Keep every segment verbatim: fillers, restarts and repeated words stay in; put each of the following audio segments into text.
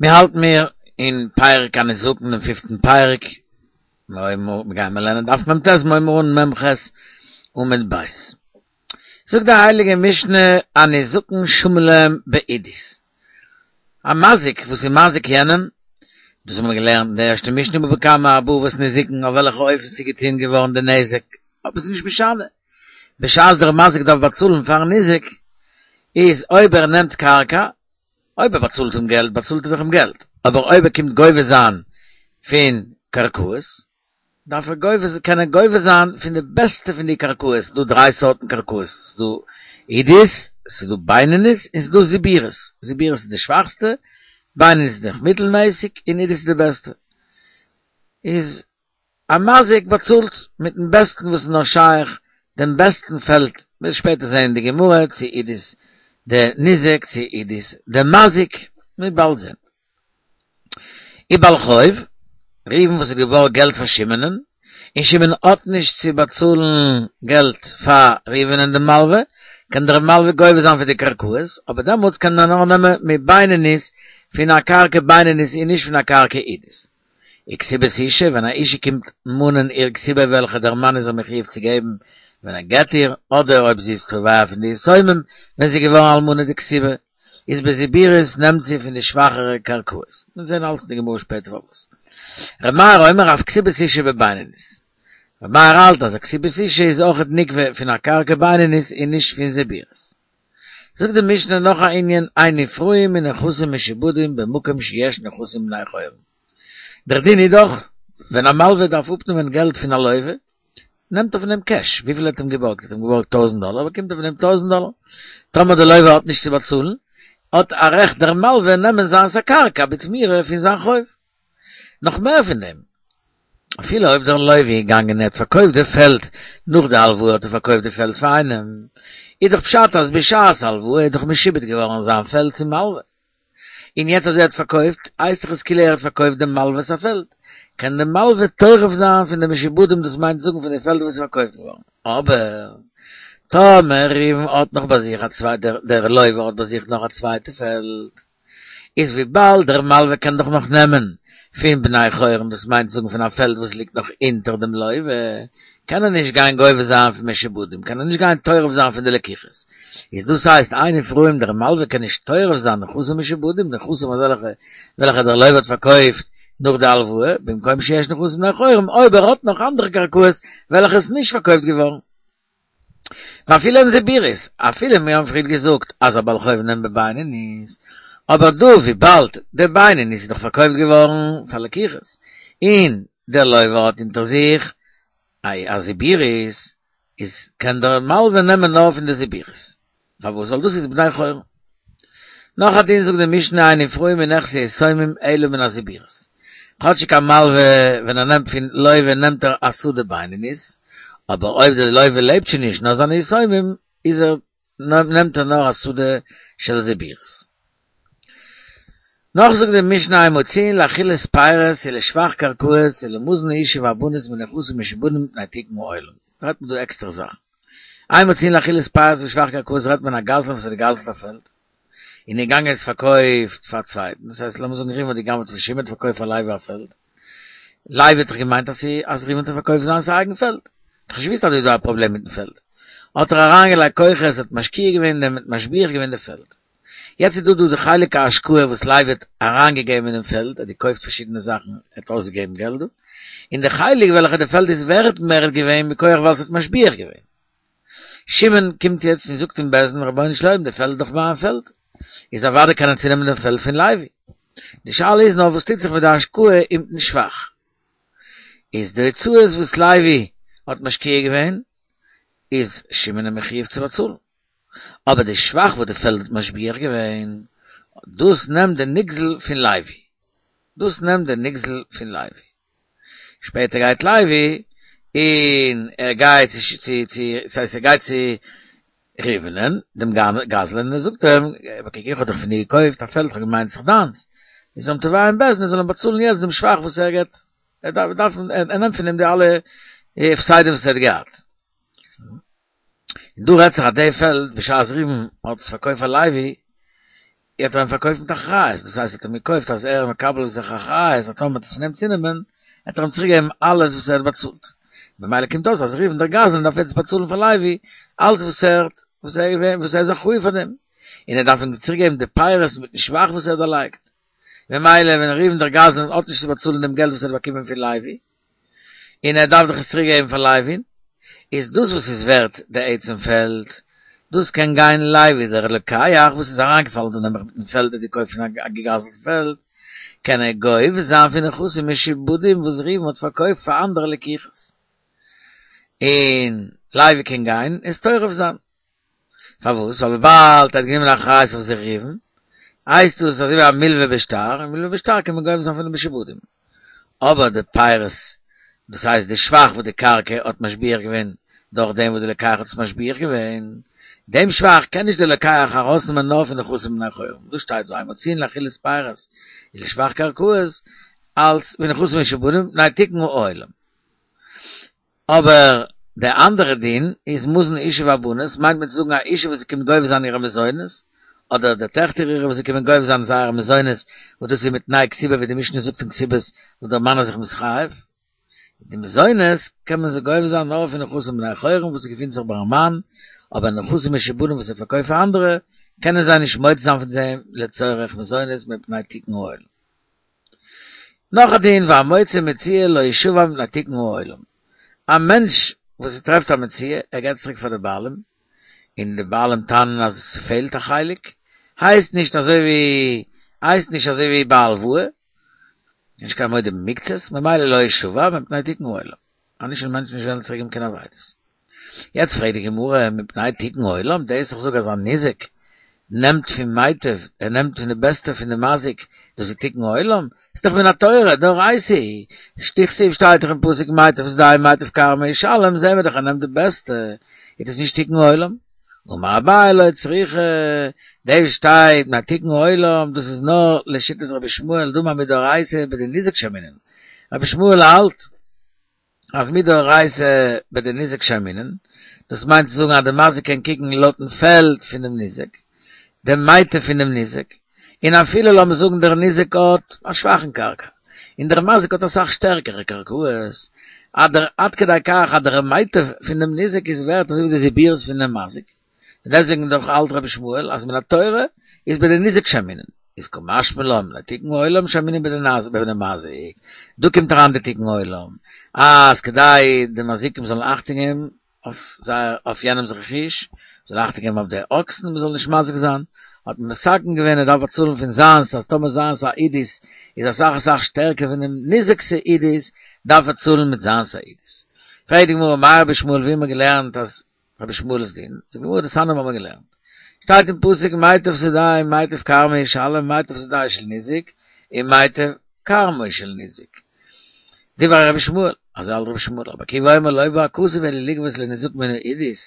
מיר האלטן מיר אין פרק הניזקין, דעם פיפטן פרק, מיר גייען מיר לערנען דף מ"ט, מיר הייבן אן מ"ח עמוד ב'. זאגט די הייליגע משנה, הניזקין שמין להם בעידית. א מזיק וואס איז מזיק יענעם, דאס האבן מיר געלערנט אין די ערשטע משנה בבא קמא, ארבעה אבות נזיקין, אויף וועלכע אופן ס'איז געטון געווארן די נזק, אבער ס'איז נישט משנה. בשעת דער מזיק דארף באצאלן פארן ניזק, איז אויב ער נעמט קרקע, אויב ער באצאלט אים געלט, באצאלט ער דאך אים געלט, אבער אויב ער קומט גובה זיין פון קרקעות, דארף ער גובה, קען ער גובה זיין פון די בעסטע פון די קרקעות, ס'איז דא דריי סארטן קרקעות, ס'איז דא עידית, ס'איז דא בינונית, און ס'איז דא זיבורית, זיבורית איז די שוואכסטע, בינונית איז די מיטלמעסיג, און עידית איז די בעסטע. איז א מזיק באצאלט מיטן בעסטן וואס איז נאר שייך, דעם בעסטן פעלד, מ'וועט שפעטער זען אין די גמרא צו עידית די ניזק צו עידית די מזיק, מ'וועט באלד זען. ובעל חוב, ראובן וואס האט געבארגט געלט פאר שמעונ'ען, און שמעון האט נישט צו באצאלן געלט פאר ראובנ'ען דעם מלווה, קען דער מלווה גובה זיין פון די קרקעות, אבער דעמאלטס קען ער נאר נעמען מבינונית פון א קרקע בינונית און נישט פון א קרקע עידית. וכתובת אשה, ווען א אישה קומט מאנען איר כתובה וועלכע דער מאן איז איר מחויב צו געבן ווען ער גט איר, אדער אויב זי איז תובע פון די יתומים ווען זי איז געווארן אלמנה די כתובה איז בזיבורית נעמט זי פון די שוואכערע קרקעות. מיר זעהן אלס אין די גמרא שפעטער פארוואס. ר' מאיר אומר אף כתובת אשה בבינונית. ר' מאיר האלט אז א כתובת אשה איז אויכעט נגבה פון א קרקע בינונית און נישט פון זיבורית. זאגט די משנה נאך א ענין אין נפרעים מנכסים משועבדים במקום שיש נכסים בני חורין. דער דין איז דאך ווען א מלווה דארף אפנעמען געלט פון א לווה, נעמט ער פון אים קעש, וויפיל ער האט אים געבארגט, ער האט אים געבארגט טויזנט דאלער, באקומט ער פון אים טויזנט דאלער. טאמער דער לווה האט נישט צו באצאלן, האט א רעכט דער מלווה נעמען זיינס א קרקע בתמורה פון זיין חוב. נאך מער פון דעם, אפילו אויב דער לווה איז געגאנגען און ער האט פארקויפט די פעלד נאך די הלוואה האט ער פארקויפט די פעלד פאר איינעם, איז דאך פשט אז בשעת הלוואה איז דאך משועבד געווארן זיין פעלד צום מלווה, און יעצט אז ער האט פארקויפט, הייסט דאך עס כאילו ער האט פארקויפט דעם מלווה'ס א פעלד, קען דער מלווה טורף זיין פון די משועבדים דאס מיינט זאגן פון די פעלד וואס איז פארקויפט געווארן. אבער טאמער ראובן האט נאך ביי זיך א צווייטע, דער לווה האט ביי זיך נאך א צווייטע פעלד, איז וויבאלד דער מלווה קען דאך נאך נעמען פון בני חורין, דאס מיינט זאגן פון א פעלד וואס ליגט נאך אונטער דעם לווה, קען ער נישט גיין גובה זיין פון משועבדים, קען ער נישט גיין טורף זיין פון די לקיחות. איז דאס הייסט אין נפרעים דער מלווה קען נישט טורף זיין נכסים משועבדים, נכסים אזעלכע וועלכע דער לווה האט פארקויפט נאך די הלוואה, במקום שיש נכסים בני חורין, אויב ער האט נאך אנדערע קרקעות וועלכע איז נישט פארקויפט געווארן. ואפילו הן זיבורית, אפילו מיר האבן פריער געזאגט אז א בעל חוב נעמט בבינונית, אבער דא וויבאלד די בינונית איז דאך פארקויפט געווארן פאר לקיחות, און דער לווה האט אונטער זיך א זיבורית, איז קען דער מלווה נעמען נאר פון די זיבורית. פארוואס? ווייל דאס איז בני חורין. נאך א דין זאגט די משנה אין נפרעים מנכסי יתומים אלא מן הזיבורית. כאטשיג א מלווה ווען ער נעמט פון לווה נעמט ער א שדה בינונית, אבער אויב די לווה לעבט שוין נישט נאר זיינע יתומים איז ער נעמט ער נאר א שדה של זיבורית. נאך זאגט די משנה אין מוציאין לאכילת פירות ולשבח קרקעות ולמזון האשה והבנות מנכסים משועבדים מפני תיקון העולם. רעדט מען דא עקסטערע זאכן. אין מוציאין לאכילת פירות ולשבח קרקעות רעדט מען א גזלן וואס האט געגזלט א פעלד און איז געגאנגען עס פארקויפט פאר א צווייטן, דאס הייסט לאמיר זאגן ראובן האט געגנב'ט פון שמעון האט פארקויפט פאר לוי א פעלד, לוי האט דאך געמיינט אז אז ראובן האט אים פארקויפט זיינס א אייגן פעלד, האט דאך נישט געוואוסט אז דא איז דא א פראבלעם מיטן פעלד, האט ער אריינגעלייגט כוחות האט משקיע געווען אין דעם האט משביח געווען די פעלד. יעצט איז דא דא די חלק ההשקעה וואס לוי האט אריינגעגעבן אינעם פעלד, ער האט געקויפט פארשידענע זאכן, ער האט אויסגעגעבן געלט דא, און די חלק וועלכע די פעלד איז ווערט מער געווען מכח ווייל ס'האט משביח געווען. שמעון קומט יעצט און זאגט אין בית דין, רבונו של עולם די פעלד איז דאך מיין פעלד, איז אוודאי קען ער צונעמען דעם פעלד פון לוי. די שאלה איז נאר וואס טוט זיך מיט די השקעה אינמיטן שבח. איז די הוצאות וואס לוי האט משקיע געווען, איז שמעון מחויב צו באצאלן. אבער די שבח וואס די פעלד האט משביח געווען, דאס נעמט די נגזל פון לוי. דאס נעמט די נגזל פון לוי. שפעטער גייט לוי און ער גייט צו צו צו ס'הייסט ער גייט צו ראובנ'ען, דעם גזלן, און ער זאגט אים, קוק איך האב דאך פון דיר געקויפט א פעלד, איך האב געמיינט ס'איז דיינס, איז אים תובע אין בית דין ער זאל אים באצאלן יעצט דעם שבח וואס ער געט, ער דארף דארף ער נעמט פון אים די אלע הפסדים וואס ער האט געהאט. און דא רעדט זיך אז די פעלד בשעת ראובן האט עס פארקויפט פאר לוי האט אים פארקויפט מיט אחריות, דאס הייסט ער האט אים געקויפט אז ער מקבל זיך אחריות, אז טאמער עס נעמט צונעמען, האט ער אים צוריקגעגעבן אלעס וואס ער האט באצאלט. במילא קומט אויס אז ראובן דער גזלן דארף יעצט באצאלן פאר לוי אלעס וואס ער האט, וואס ער וואס ער איז אחראי פאר דעם. און ער דארף אים צוריקגעבן די פירות מיטן שבח וואס ער האט דערלייגט. במילא ווען ראובן דער גזלן האט נישט צו באצאלן דעם געלט וואס ער האט באקומען פון לוי, און ער דארף דאך עס צוריקגעבן פאר לוי'ן, איז דאס וואס איז ווערט די עצם פעלד, דאס קען גיין לוי דער לוקח וואס איז אריינגעפאלן דא נעבעך מיטן פעלד ער האט געקויפט פון א געגזלטן פעלד, קען ער גובה זיין פון נכסים משועבדים וואס ראובן האט פארקויפט פאר אנדערע לקוחות, און לוי קען גיין עס טורף זיין. פארוואס? ווייל וויבאלד ער האט גענומען אחריות אויף זיך ראובן, הייסט דאס אזוי ווי א מלווה בשטר, און מלווה בשטר קען מען גובה זיין פון די משועבדים. אבער די פירות, דאס הייסט די שבח וואס די קרקע האט משביח געווען דורך דעם וואס די לוקח האט עס משביח געווען, דעם שבח קען נישט די לוקח ארויסנעמען נאר פון נכסים בני חורין. דאס שטייט דא, אין מוציאין לאכילת פירות ולשבח קרקעות אלץ מנכסים משועבדים מפני תיקון העולם. אבער די אנדערע דין איז מזון אשה והבנות מיינט מען צו זאגן א אשה וואס קומט גובה זיין אירע מזונות, אדער די טעכטער אירע וואס קומען גובה זיין זייערע מזונות, וואס דאס איז מיט תנאי כתובה ווי די משנה זאגט אין כתובות וואס דער מאן איז זיך מתחייב. די מזונות קען מען זיי גובה זיין נאר פון נכסים בני חורין וואס געפינט זיך ביים מאן, אבער נכסים משועבדים וואס ער האט פארקויפט פאר אנדערע, קענען זיי נישט מוציא זיין פון זיי לצורך מזונות מפני תיקון העולם. נאך א דין והמוצא מציאה לא ישבע מפני תיקון העולם. א מענטש וואס ער טרעפט א מציאה, ער געבט צוריק פאר די בעלים, און די בעלים טענה'ן אז עס פעלט א חלק, הייסט נישט אזוי ווי הייסט נישט אזוי ווי ביי הלוואה, נישט קיין מודה במקצת, ממילא לא ישבע מפני תיקון העולם. אנישט וועלן מענטשן נישט וועלן צוריק געבן קיין אבידות. יעצט פרעגט די גמרא, מפני תיקון העולם, דאס איך זאג אז א ניזק נעמט פון מיטב, ער נעמט פון די בעסטע פון די מזיק, דאס איז תיקון העולם? איז דאך מן התורה, דאורייתא, דכתיב שטייט דאך אין פסוק מיטב שדהו מיטב כרמו ישלם, זעהן מיר דאך ער נעמט די בעסטע, איז דאס נישט תיקון העולם? אמר אביי לא צריכא, דאס שטייט מפני תיקון העולם, דאס איז נאר לשיטת רבי ישמעאל דאמר מדאורייתא בדניזק שיימינן, רבי ישמעאל האלט אז מדאורייתא בדניזק שיימינן, דאס מיינט צו זאגן אז די מזיק קען קוקן לויטן פעלד פון דעם ניזק, דעם מיטב פון דעם ניזק, און אפילו לאמיר זאגן דער ניזק האט א שוואכן קרקע, און דער מזיק האט אסאך שטערקערע קרקעות, אדער עד כדי כך אז דער מיטב פון דעם ניזק איז ווערט אזוי ווי די זיבורית פון דעם מזיק. און דעסוועגן דאך האלט רבי ישמעאל אז מן התורה איז בדניזק שיימינן, איז קא משמע לן מפני תיקון העולם שיימינן בדמזיק, דא קומט אריין די תיקון העולם, אז כדי די מזיקים זאלן אכטונג געבן אויף זייער אויף יענעמס רכוש, זאל אכטונג געבן אויף די אקסן מען זאל נישט מזיק זיין, האט מען מתקן געווען ער דארף באצאלן פון זיינס אז טאמער זיינס א עידית איז אסאך אסאך שטערקער פונעם ניזק'ס עידית דארף ער צאלן מיט זיינס א עידית. פרעגט די גמרא מאי רבי ישמעאל ווי האט מען געלערנט אז רבי ישמעאל'ס דין, זאגט די גמרא דתניא האבן מיר געלערנט. שטייט אין פסוק מיטב שדהו מיטב כרמו ישלם מיטב שדהו של ניזק און מיטב כרמו של ניזק. דברי רבי ישמעאל, אזוי האלט רבי ישמעאל, רבי עקיבא אומר לא בא הכתוב אלא לגבות לניזקין מן העידית,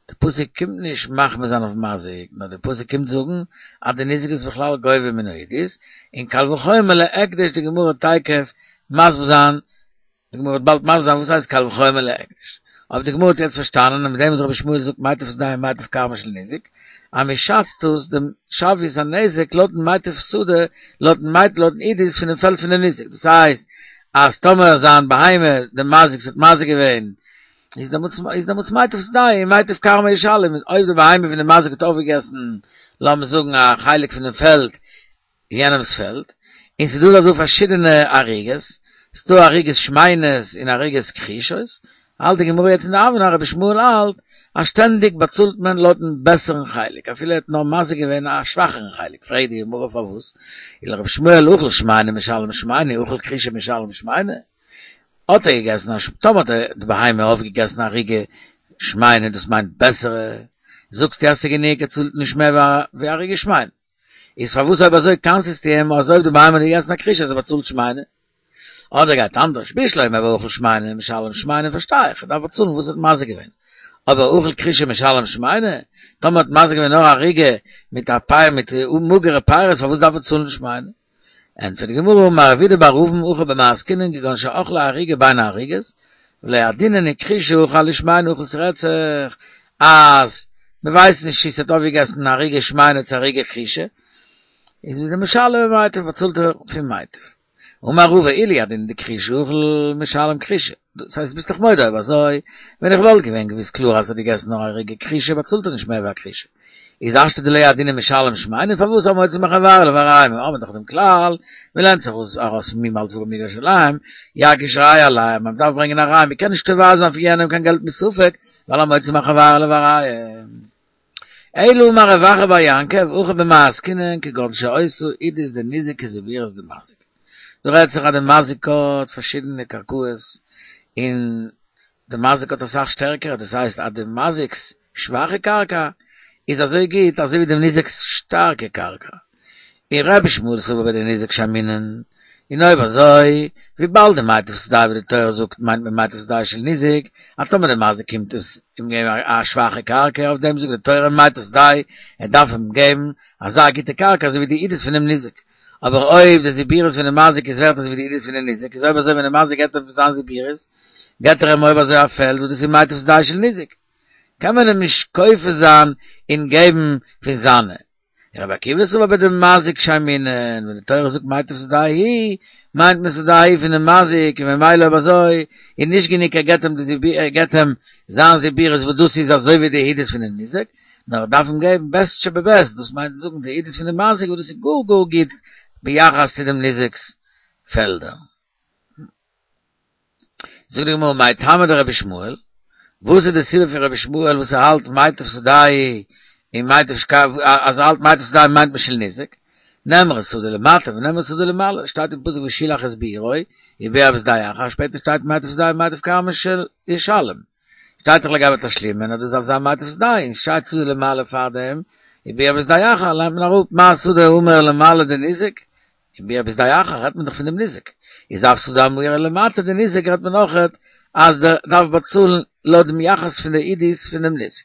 די פסוק קומט נישט מחמיר זיין אויף מזיק, נאר די פסוק קומט זאגן אז די ניזק איז בכלל גובה מן העידית, און קל וחומר להקדש די גמרא תיכף מסביר זיין די גמרא וועט באלד מסביר זיין וואס הייסט קל וחומר להקדש. אבער די גמרא האט יעצט פארשטאנען אז מיט דעם וואס רבי ישמעאל זאגט מיטב שדהו מיטב כרמו של ניזק, אז מען שאצט אויס דעם שוויות הנזק לויטן מיטב שדה, לויטן מיטב לויטן עידית פונעם פעלד פונעם ניזק. דאס הייסט אז טאמער זיין בהמה, דער מזיק האט מזיק געווען, איז דעמאלטס איז דעמאלטס מיטב שדהו מיטב כרמו ישלם, אויב די בהמה פונעם מזיק האט אויפגעגעסן לאמיר זאגן א חלק פונעם פעלד, יענעמס פעלד, און ס'איז דא דא פארשידענע ערוגות, ס'איז דא ערוגות שמנות און ערוגות כחושות, האלט די גמרא יעצט אין די הוה אמינא רבי ישמעאל האלט אז שטענדיג באצאלט מען לויטן בעסערן חלק אפילו ער האט נאר מזיק געווען א שוואכערן חלק, פרעגט די גמרא פארוואס אי לרבי ישמעאל אכל שמנה משלם שמנה אכל כחושה משלם שמנה, האט ער געגעסן א טאמער האט די בהמה אויפגעגעסן א ערוגה שמנה דאס מיינט בעסערע, זאגסטו אז ס'איז גענוג ער צאלט נישט מער ווי ערוגה שמנה. איז פארוואס אויב אזוי קנס'סטו אים אז אויב די בהמה האט געגעסן א כחושה אז ער באצאלט שמנה? אדער גייט אנדערש, בשלמא אויב אכל שמנה משלם שמנה פארשטיי איך, ער דארף באצאלן וואס ער האט מזיק געווען. אבער אכל כחושה משלם שמנה? טאמער האט מזיק געווען נאר א ערוגה מיט א פאר מיט מאגערע פירות פארוואס דארף ער צאלן שמנה? ענטפערט די גמרא אמר רב אידי בר אבין הכא במאי עסקינן כגון שאכלה ערוגה בין הערוגות ולא ידעינן כחושה אכל שמנה אכל ס'רעדט זיך אז מ'ווייסט נישט צו ס'האט אויפגעגעסן ערוגה שמנה צו ערוגה כחושה איז דער משלם מיטב, באצאלט ער פון מיטב. אמר רבא אילו הדין דכרישה אכיל משלם כרישה. דאס הייסט ביסט דאך מודה אויב אזוי, ווען איך וואלט געווען געוויסט קלאר אז ער האט געגעסן נאר א רגע כרישה באצאלט ער נישט מער ווי א כרישה. איז השתא דלא ידעינן משלם שמיני פארוואס המוציא מחבירו עליו הראיה מיר האבן דאך דעם כלל, מען לערנט זיך אויס ארויס פון מי מעל דברים יגש אליהם, יגיש ראיה עליהם, מען דארף ברענגען א ראיה, מען קען נישט תובע זיין פון יענעם קיין געלט מספק, ווייל המוציא מחבירו עליו הראיה. אלא אמר רב אחא בר יעקב, הכא במאי עסקינן כגון שהיתה עידית דניזק כזיבורית דמזיק. דא רעדט זיך אז די מזיק האט פארשידענע קרקעות, און די מזיק האט אסאך שטערקערע, דאס הייסט אז די מזיק'ס שוואכע קרקע איז אזוי גוט אזוי ווי דעם ניזק'ס שטארקע קרקע. און רבי ישמעאל סבר בדניזק שיימינן, און אויב אזוי, וויבאלד די מיטב שדהו ווי די תורה זאגט מיינט מען מיטב שדהו של ניזק, אז טאמער די מזיק קומט עס אים געבן א שוואכע קרקע, אויף דעם זאגט די תורה מיטב שדהו, ער דארף אים געבן אזא גוטע קרקע אזוי ווי די עידית פונעם ניזק. אבער אויב די זיבורית פונעם מזיק איז ווערט אזוי ווי די עידית פונעם ניזק, איז אויב אזוי ווען די מזיק געבט אים זיין זיבורית, געבט ער אים אויב אזוי א פעלד וואס דאס איז מיטב שדהו של ניזק. קען מען אים נישט כופה זיין און געבן פון זיינע. רבי עקיבא סבר בדמזיק שיימינן, ווען די תורה זאגט מיטב שדהו, מיינט מען שדהו פונעם מזיק, און ממילא אויב אזוי איז נישט גענוג ער געבט אים די ער געבט אים זיין זיבורית וואס דאס איז אזוי ווי די עידית פונעם ניזק, נאר ער דארף אים געבן בעסט שבבעסט, דאס מיינט זאגן די עידית פונעם מזיק וואס דאס איז גאר גאר גוט ביחס צו דעם ניזק'ס פעלדער. זאגט די גמרא מאי טעמא דרבי ישמעאל, וואס איז די סיבה פון רבי ישמעאל וואס ער האלט מיטב שדהו און מיטב אז ער האלט מיטב שדהו מיינט מען של ניזק, נאמרה שדה למטה ונאמרה שדה למעלה, שטייט אין פסוק ושילח את בעירו ובער בשדה אחר, שפעטער שטייט מיטב שדהו מיטב כרמו ישלם, שטייט דאך לגבי תשלומין אז דאס דארף זיין מיטב שדהו, און שטייט שדה למעלה פארדעם, ובער בשדה אחר לערנט מען אראפ מה שדה האמורה למעלה דניזק, ובער בשדה אחר רעדט מען דאך פון דעם ניזק, איז אף שדה האמורה למטה דניזק רעדט מען אויכעט אז דער דארף באצאלן לויט דעם יחס פון די עידית פון דעם ניזק.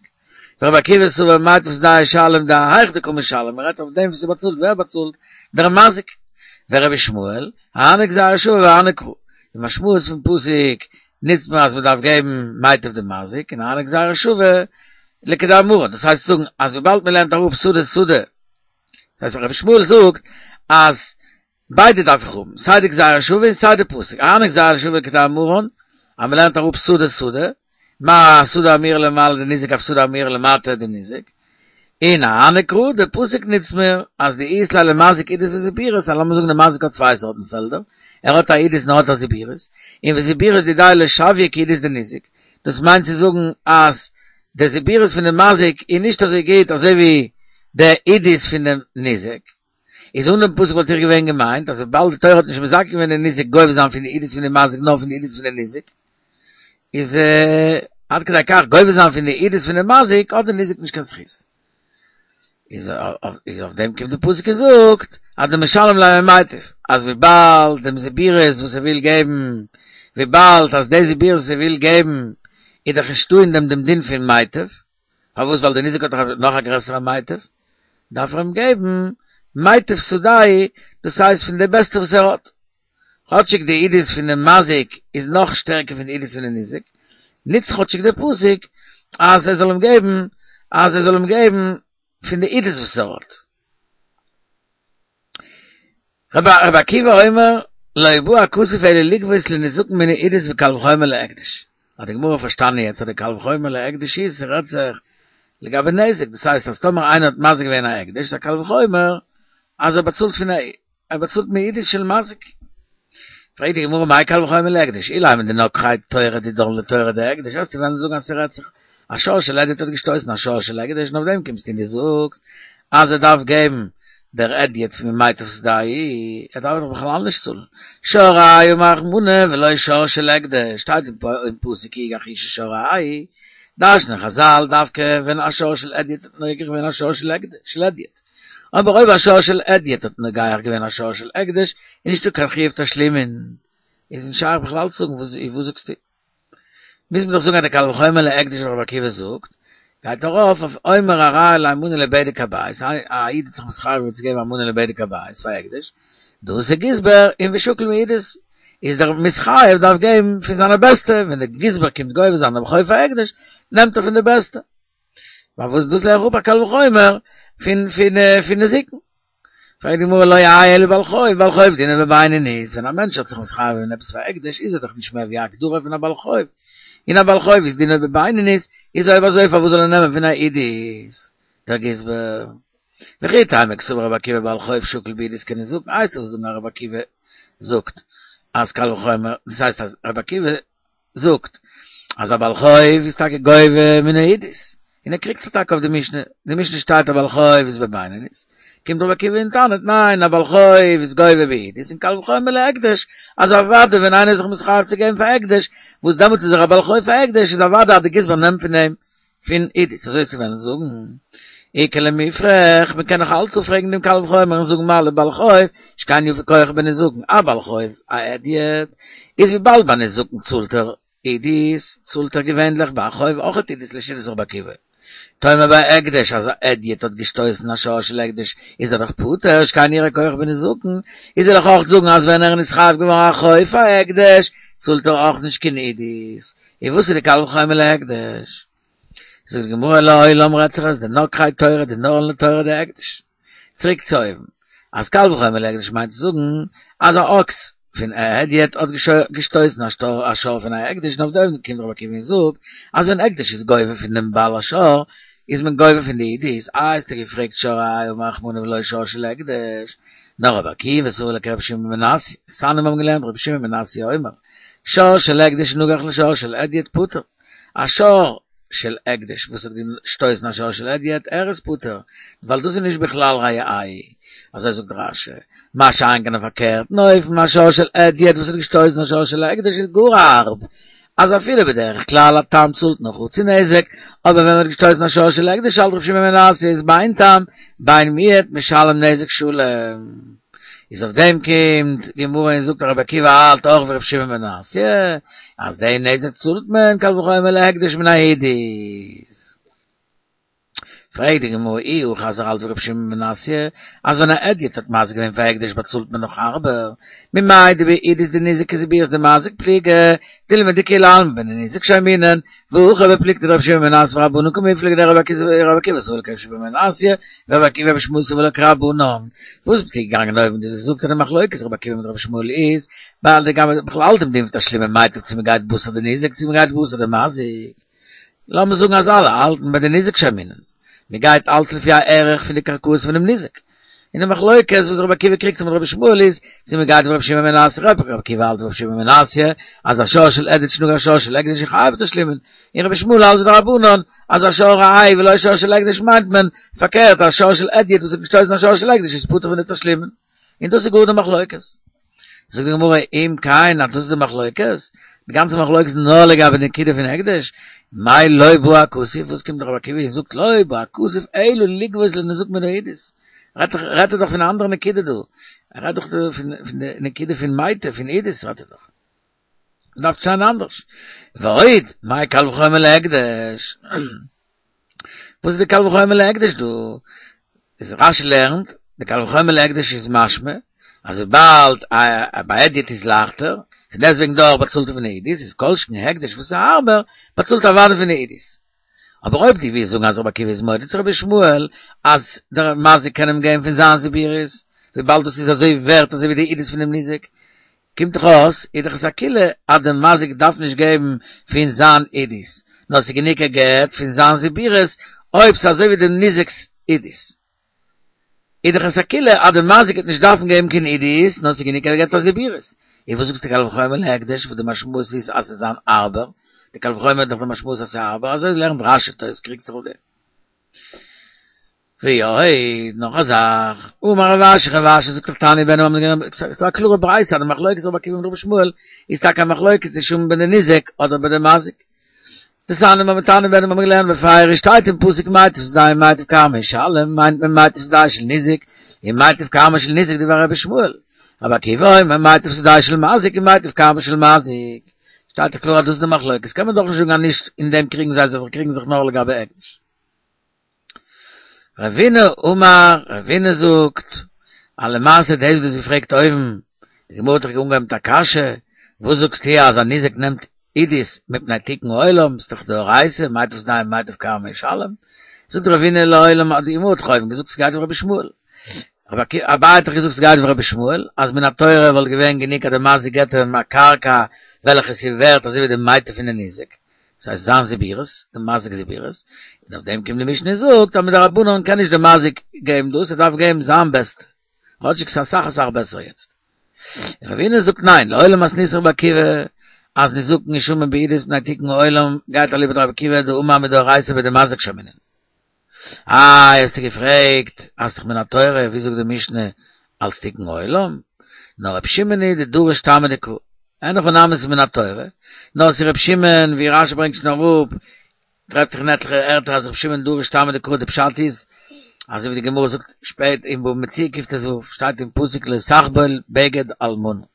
ורבי עקיבא סבר מיטב שדהו ישלם דהאיך דקא משלם, מען רעדט אויף דעם וואס ער באצאלט, ווער באצאלט? דער מזיק. ורבי ישמעאל, אהני גזירה שוה ואהני קרא. די משמעות פון פסוק נוצט מען אז מען דארף געבן מיטב דמזיק און אהני גזירה שוה לכדאמרן, דאס הייסט זאגן אז וויבאלד מען לערנט אראפ שדה שדה, דאס הייסט רבי ישמעאל זאגט אז ביידע דארף איך האבן, סיי די גזירה שוה און סיי די פסוק, אהני גזירה שוה לכדאמרן, אז מען לערנט אראפ שדה שדה, מה שדה האמורה למעלה דניזק אף שדה האמורה למטה דניזק, און אהני קרא, די פסוק נוצט מיר אז דאית ליה למזיק עידית וזיבורית, אז לאמיר זאגן די מזיק האט צוויי סארטן פעלדער, ער האט א עידית און ער האט א זיבורית, און וזיבורית דידיה לא שויא כעידית דניזק, דאס מיינט צו זאגן אז די זיבורית פון די מזיק איז נישט אזוי גוט אזוי ווי די עידית פון דעם ניזק. איז אן דעם פסוק וואלט איך געווען געמיינט אז וויבאלד די תורה האט נישט מזכה געווען די ניזק גובה זיין פון די עידית פון די מזיק נאר פון די עידית פון די ניזק, איז עד כדי כך גובה זיין פון די עידית פון די מזיק האט די ניזק נישט קיין זכות. איז אויף דעם קומט די פסוק און זאגט אז דמשלם ליה ממיטב, אז וויבאלד דעם זיבורית וואס ער וויל געבן, וויבאלד אז די זיבורית וואס ער וויל געבן איז דאך נישטא אין דעם דעם דין פון מיטב, פארוואס ווייל די ניזק האט דאך נאך א גרעסערע מיטב, דארף ער אים געבן מיטב שדהו, דאס הייסט פון די בעסטע וואס ער האט. כאטשיג די עידית פון דעם מזיק איז נאך שטערקער פון די עידית פון די ניזק, נוצט כאטשיג דער פסוק אז ער זאל אים געבן, אז ער זאל אים געבן פון די עידית וואס ער האט. רבי עקיבא אומר, לא בא הכתוב אלא לגבות לנזקין מן העידית וקל וחומר להקדש. האט די גמרא פארשטאנען יעצט אז די קל וחומר להקדש איז ס'רעדט זיך לגבי נזק, דאס הייסט אז טאמער איינער האט מזיק געווען א הקדש איז א קל וחומר אז ער באצאלט פון א ער באצאלט מעידית של מזיק. פרעגט די גמרא מאי קל וחומר להקדש, אילימא דנגחיה תורא דידן לתורא דהקדש, וועסטו וועלן זאגן אז ס'רעדט זיך א שור של הדיוט האט געשטויסן א שור של הקדש און אויף דעם קומסטו און דו זאגסט אז ער דארף געבן דער הדיוט פון מיטב שדהו, ער דארף דאך בכלל נישט צאלן, שור רעהו אמר רחמנא ולא שור של הקדש, שטייט אין פסוק כי יגח איש את שור רעהו, דרש'נען חזל דווקא ווען א שור של הדיוט האט נוגח געווען א שור של הדיוט. אבער אויב א שור של הדיוט האט נוגח געווען א שור של הקדש, איז נישטא קיין חיוב תשלומין, איז נישט שייך בכלל צו זאגן וואס וואס זאגסטו? מוז מען דאך זאגן אז די קל וחומר להקדש וואס רבי עקיבא זאגט, גייט ארויף אויף אומר הרי עלי מנה לבדק הבית, א איד האט זיך מתחייב געווען צו געבן א מנה לבדק הבית פאר הקדש, דאתא גזבר און ושקיל מעידית, איז דער מתחייב דארף געבן פון זיינע בעסטע, ווען דער גזבר קומט גובה זיין דעם חוב פאר הקדש, נעמט ער פון די בעסטע. פארוואס דאס לערן איך אפ א קל וחומר פון פון פון נזיקין. פרעגט די גמרא לא האי אלא בעל חוב, בעל חוב דיניה בבינונית, ווען א מענטש האט זיך מתחייב געווען עפעס פאר הקדש איז ער דאך נישט מער ווי א הגדרה פון א בעל חוב, און א בעל חוב איז דיניה בבינונית, איז אויב אזוי פארוואס זאל ער נעמען פון א עידית? דער גזבר. וכי תימא קסבר רבי עקיבא בעל חוב שקיל בעידית כניזקין, הייסט עס זאגן אז רבי עקיבא זאגט אז קל וחומר, דאס הייסט אז רבי עקיבא זאגט אז א בעל חוב איז טאקע גובה מן העידית, און ער קריגט זיך טאקע אויף די משנה, די משנה שטייט א בעל חוב איז בבינונית, קומט רבי עקיבא און טענה'ט ניין א בעל חוב איז גובה בעידית און קל וחומר להקדש, אז אוודאי ווען איינער איז זיך מתחייב צו געבן פאר הקדש, וואס דעמאלטס איז ער א בעל חוב פאר הקדש, איז אוודאי אז די גזבר נעמט פון אים פון עידית, אזוי צו וועלן זאגן. איכא למיפרך, מען קען נאך אלץ אפפרעגן דעם קל וחומר און זאגן מה לבעל חוב, שכן יפה כח בנזקין, א בעל חוב, א הדיוט, איז וויבאלד ביי נזקין צאלט ער עידית, צאלט ער געווענליך ביי א חוב אויכעט עידית לשיטת רבי עקיבא. טאמער ביי הקדש אז א הדיוט האט געשטויסן א שור של הקדש איז ער דאך פטור, שכן יראה כח בנזקין, איז וועל איך אויך זאגן אז ווען ער איז נתחייב געווארן א חוב פאר הקדש צאלט ער אויך נישט קיין עידית. און וואס איז די קל וחומר להקדש? זאגט די גמרא לעולם רעדט זיך אז דנגחיה תורא דנהרין ליה תורא דהקדש. צוריק צו אויבן, אז קל וחומר להקדש מיינט צו זאגן אז א אקס פון א הדיוט האט געשטויסן א שור פון א הקדש און אויף דעם קומט רבי עקיבא און זאגט אז ווען הקדש איז גובה פון דעם בעל השור איז מען גובה פון די עידית, איי האסטו געפרעגט שור האי אמר רחמנא ולא שור של הקדש, נאר רבי עקיבא סבר לה כרבי שמעון בן מנסיא, דתניא מיר האבן געלערנט רבי שמעון בן מנסיא אומר, שור של הקדש שנגח לשור של הדיוט פטור, א שור של הקדש וואס האט געשטויסן א שור של הדיוט ער איז פטור ווייל דאס איז נישט בכלל רעהו אזוי זאגט רש"י מה שאין כן אויף פארקערטן אופן א שור של הדיוט וואס האט געשטויסן א שור של הקדש איז גאר הארב אז אפילו בדרך כלל א תם צאלט נאר חצי נזק אבער ווען מען האט געשטויסן א שור של הקדש האלט רבי שמעון בן מנסיא איז בין תם בין מועד משלם נזק שלם. איז אויף דעם קומט די גמרא און זאגט רבי עקיבא האלט אויך ווי רבי שמעון בן מנסיא אז די נזק צאלט מען קל וחומר להקדש מן העידית. פרעגט די גמרא אי הכי אז ער האלט ווי רבי שמעון בן מנסיא אז ווען א הדיוט האט מזיק געווען פאר הקדש באצאלט מען נאך הארבער, ממאי דבעידית דניזק כזיבורית דמזיק פליגי, דילמא דכולי עלמא בניזק שיימינן, והכא בפלוגתא דרבי שמעון בן מנסיא ורבנן קמיפלגי דרבי עקיבא סבר לה כרבי שמעון בן מנסיא ורבי עקיבא ורבי ישמעאל סבר לה כרבנן. וואס ביסטו געגאנגען אויבן דו זאגסט אז די מחלוקת רבי עקיבא מיט רבי ישמעאל איז ווייל לגבי בכלל דעם דין פון תשלומי מיטב צו מ'גייט בתר די ניזק צו מ'גייט בתר די מזיק. לאמיר זאגן אז אלע האלטן בדניזק שיימינן. מ'גייט אלץ לפי הערך פון די קרקעות פונעם ניזק. און די מחלוקת וואס רבי עקיבא קריגט זיך מיט רבי ישמעאל איז צו מ'גייט ווי רבי שמעון בן מנסיא, רבי עקיבא האלט ווי רבי שמעון בן מנסיא אז א שור של הדיוט שנגח שור של הקדש איז חייב בתשלומין, און רבי ישמעאל האלט ווי די רבנן אז א שור האי ולא שור של הקדש מיינט מען פארקערט א שור של הדיוט וואס האט געשטויסן א שור של הקדש איז פטור פון די תשלומין. און דאס איז גאר די מחלוקת. זאגט די גמרא אם כן אז דאס איז די מחלוקת, די גאנצע מחלוקת איז נאר לגבי די נקודה פון הקדש, מאי לא בא הכתוב, וואס קומט רבי עקיבא און זאגט לא בא הכתוב אלא לגבות לניזקין מן העידית, רעדט רעדט ער דאך פון א אנדערע נקודה דא, ער רעדט דאך דא פון פון די נקודה פון מיטב פון עידית רעדט ער דאך. דארף שטיין אנדערש. ועוד, מאי קל וחומר להקדש? וואס איז די קל וחומר להקדש דא? איז רשי לערנט, די קל וחומר להקדש איז משמע, אז וויבאלד ביי הדיוט איז לייכטער, פון דעסטוועגן דאך באצאלט ער פון עידית, איז כל שכן הקדש וואס איז הארבער, באצאלט אוודאי פון עידית. אבער אויב דו ווילסט זאגן אז רבי עקיבא איז מודה צו רבי ישמעאל אז דער מזיק קען אים געבן פון זיין זיבורית, וויבאלד דאס איז אזוי ווערט אזוי ווי די עידית פונעם ניזק, קומט דאך אויס איז דאך עס א קולא אז דער מזיק דארף נישט געבן פון זיין עידית, נאר ס'איז גענוג ער געבט פון זיין זיבורית אויב ס'איז אזוי ווי דעם ניזק'ס עידית. איז דאך עס א קולא אז דער מזיק וועט נישט דארפן געבן קיין עידית, נאר ס'איז גענוג ער געבט א זיבורית. און וואס זאגסטו קל וחומר להקדש וואס די משמעות איז אז ס'איז אן הארבער, די קל וחומר איז דאך די משמעות אז ס'איז הארבער, אזוי לערנט רשי תוס' קריגט זיך אויף דעם. ועוד, נאך א זאך, אמר רב אשי, רב אשי זאגט דאך תניא בן אמ ג, ס'איז א קלארע ברייתא אז די מחלוקת רבי עקיבא מיט רבי ישמעאל איז טאקע א מחלוקת צו ביי די ניזק אדער ביי די מזיק. דתניא מיר האבן תניא בן האבן געלערנט בפירוש שטייט אין פסוק מיטב שדהו ומיטב כרמו ישלם מיינט מען מיטב שדהו של ניזק און מיטב כרמו של ניזק דברי רבי ישמעאל רבי עקיבא אומר מיטב שדהו של מזיק און מיטב כרמו של מזיק שטייט דאך קלאר אז דאס איז די מחלוקת קען מען דאך נישט זאגן אז נישט אין דעם קריגן זיי זיך זיי קריגן זיך נאר לגבי הקדש. רבינא אמר, רבינא זאגט, אז למעשה דאס וואס דו האסט געפרעגט אויבן, די גמרא האט דאך אנגעהויבן מיט א קשיא, וואס זאגסטו אז א ניזק נעמט עידית מפני תיקון העולם, ס'איז דאך דאורייתא, מיטב שדהו ומיטב כרמו ישלם, זאגט רבינא לעולם אז די גמרא האט דאך אויבן געזאגט ס'גייט ווי רבי ישמעאל, אביי האט דאך געזאגט ס'גייט ווי רבי ישמעאל, אז מן התורה וואלט געווען גענוג אז די מזיק געבט אים א קרקע וועלכע ס'איז ווערט אזוי ווי די מיטב פון די ניזק, דאס הייסט זיין זיבורית, די מזיק'ס זיבורית, און אויף דעם קומט די משנה און זאגט אז מדרבנן קען נישט די מזיק געבן דאס, ער דארף געבן זיין בעסטע, כאטשיג ס'איז אסאך אסאך בעסער יעצט. און רבינא זאגט ניין, לעולם מתניתין רבי עקיבא, אז נזקין שמין בעידית מפני תיקון העולם גייט אליבא דרבי עקיבא דאמר מדאורייתא בדמזיק שיימינן. איי האסטו געפרעגט, האסט דאך מן התורה, ווי זאגט די משנה אלס תיקון העולם? נאר רבי שמעון היא דדריש טעמא דקרא, אין הכי נמי ס'איז מן התורה, נאר ס'איז רבי שמעון, ווי רשי ברענגט שוין אראפ, טרעפט זיך אין עטליכע ערטער אז רבי שמעון דריש טעמא דקרא, די פשט איז, אזוי ווי די גמרא זאגט שפעט אין בבא מציעא קט"ו, שטייט אין פסוק לא תחבול בגד אלמנה,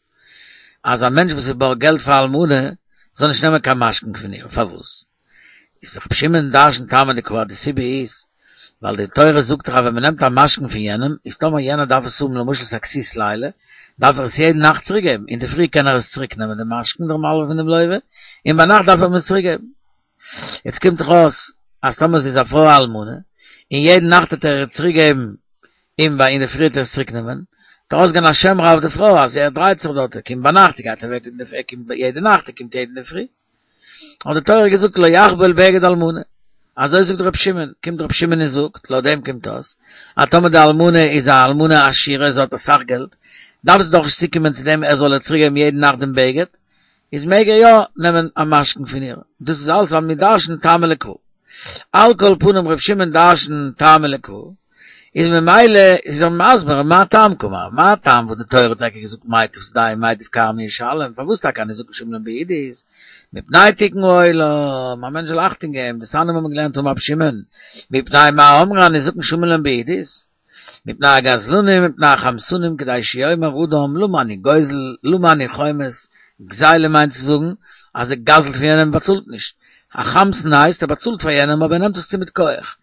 אז א מענטש וואס איז בארגט געלט פאר א אלמנה, זאל נישט נעמען קיין משכון פון איר, פארוואס? איז רבי שמעון דרש'נט טעמא דקרא אז די סיבה איז ווייל די תורה זאגט דאך אז ווען מען נעמט א משכון פון יענעם איז טאמער יענער דארף עס האבן למשל ס'א כסות לילה דארף ער עס יעדן נאכט צוריק געבן אינדערפרי קען ער עס צוריק נעמען די משכון דער מלווה פון דעם לווה און ביינאכט דארף ער אים עס צוריק געבן יעצט קומט דאך אויס אז טאמער זי איז א פרוי אלמנה און יעדן נאכט וועט ער איר צוריק געבן און ביי אינדערפרי וועט ער עס צוריק נעמען וועט ארויסגיין א שם רע אויף די פרוי אז ער דרייט זיך דארט ער קומט ביינאכט ער גייט אוועק אינדערפרי ער קומט יעדע נאכט ער קומט יעדן אינדערפרי. האט די תורה געזאגט לא יחבול בגד אלמנה, אזוי זאגט ר' שמעון, קומט ר' שמעון און זאגט, לויט דעם קומט אויס, אז טאמער די אלמנה איז א אלמנה עשירה, זי האט אסאך געלט, דארף זי דאך נישט צוקומען צו דעם ער זאל איר צוריק געבן יעדן נאכט דעם בגד, איז מעג ער יא נעמען א משכון פון איר, דאס איז אלס ווייל מיר דרש'נען טעמא לקרא. על כל פנים ר' שמעון דרש'נט טעמא לקרא, איז ממילא איז ער מסביר מה טעם קאמר, מה טעם וואס די תורה האט טאקע געזאגט מיטב שדהו מיטב כרמו ישלם, פארוואס טאקע הניזקין שמין בעידית, מפני תיקון העולם, א מענטש זאל אכטונג געבן, דתניא האבן מיר געלערנט אמר רבי שמעון, מפני מה אמרו הניזקין שמין להם בעידית, מפני הגזלנים מפני החמסנים כדי שיאמר אדם למה אני גוזל למה אני חומס, גזילה מיינט צו זאגן אז ער גזל'ט פון יענעם און באצאלט נישט, א חמסן הייסט ער באצאלט פאר יענעם אבער ער נעמט עס צו מיט כח.